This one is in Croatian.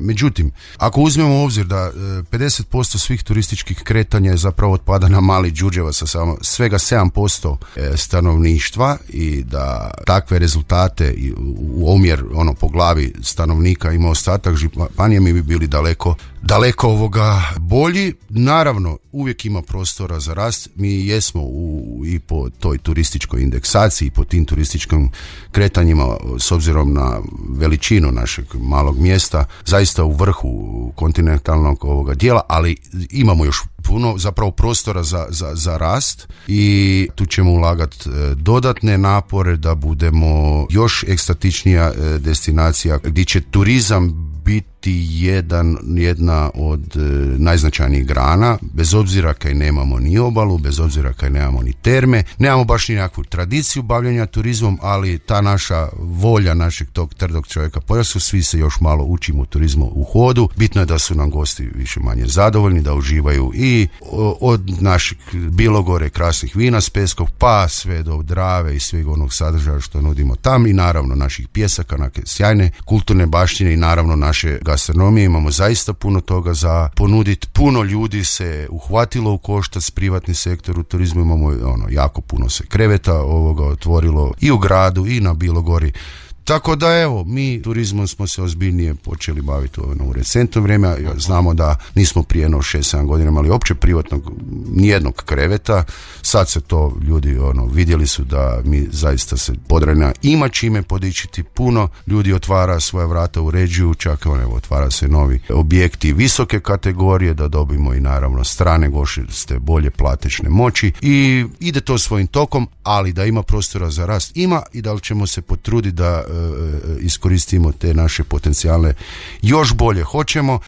Međutim, ako uzmemo u obzir da 50% svih turističkih kretanja je zapravo otpada na Mali Đurđevac sa samo svega 7% stanovništva i da takve rezultate u omjer po glavi stanovnika ima ostatak županije, mi bi bili daleko bolji. Naravno, uvijek ima prostora za rast. Mi jesmo i po toj turističkoj indeksaciji i po tim turističkim kretanjima s obzirom na veličinu našeg malog mjesta zaista u vrhu kontinentalnog dijela, ali imamo još puno zapravo prostora za rast i tu ćemo ulagati dodatne napore da budemo još ekstatičnija destinacija gdje će turizam biti jedna od najznačajnijih grana, bez obzira kaj nemamo ni obalu, bez obzira kaj nemamo ni terme, nemamo baš ni nekakvu tradiciju bavljenja turizmom, ali ta naša volja našeg tog trdog čovjeka pojasu, svi se još malo učimo turizmu u hodu. Bitno je da su nam gosti više manje zadovoljni, da uživaju i od naših Bilogore, krasnih vina s Peskog, pa sve do Drave i sveg onog sadržaja što nudimo tam i naravno naših pjesaka, neke sjajne kulturne baštine i naravno naše gastronomije. Imamo zaista puno toga za ponuditi. Puno ljudi se uhvatilo u koštac, privatni sektor u turizmu, imamo jako puno se kreveta otvorilo i u gradu i na Bilogori. Tako da evo, mi turizmom smo se ozbiljnije počeli baviti u recentno vrijeme. Znamo da nismo prije 6-7 godina imali opće privatnog nijednog kreveta. Sad se to ljudi vidjeli su da mi zaista se Podravina ima čime podičiti. Puno ljudi otvara svoja vrata, uređuju, čak otvara se novi objekti visoke kategorije da dobimo i naravno strane goste bolje platečne moći i ide to svojim tokom, ali da ima prostora za rast ima i da li ćemo se potruditi da iskoristimo te naše potencijale još bolje hoćemo.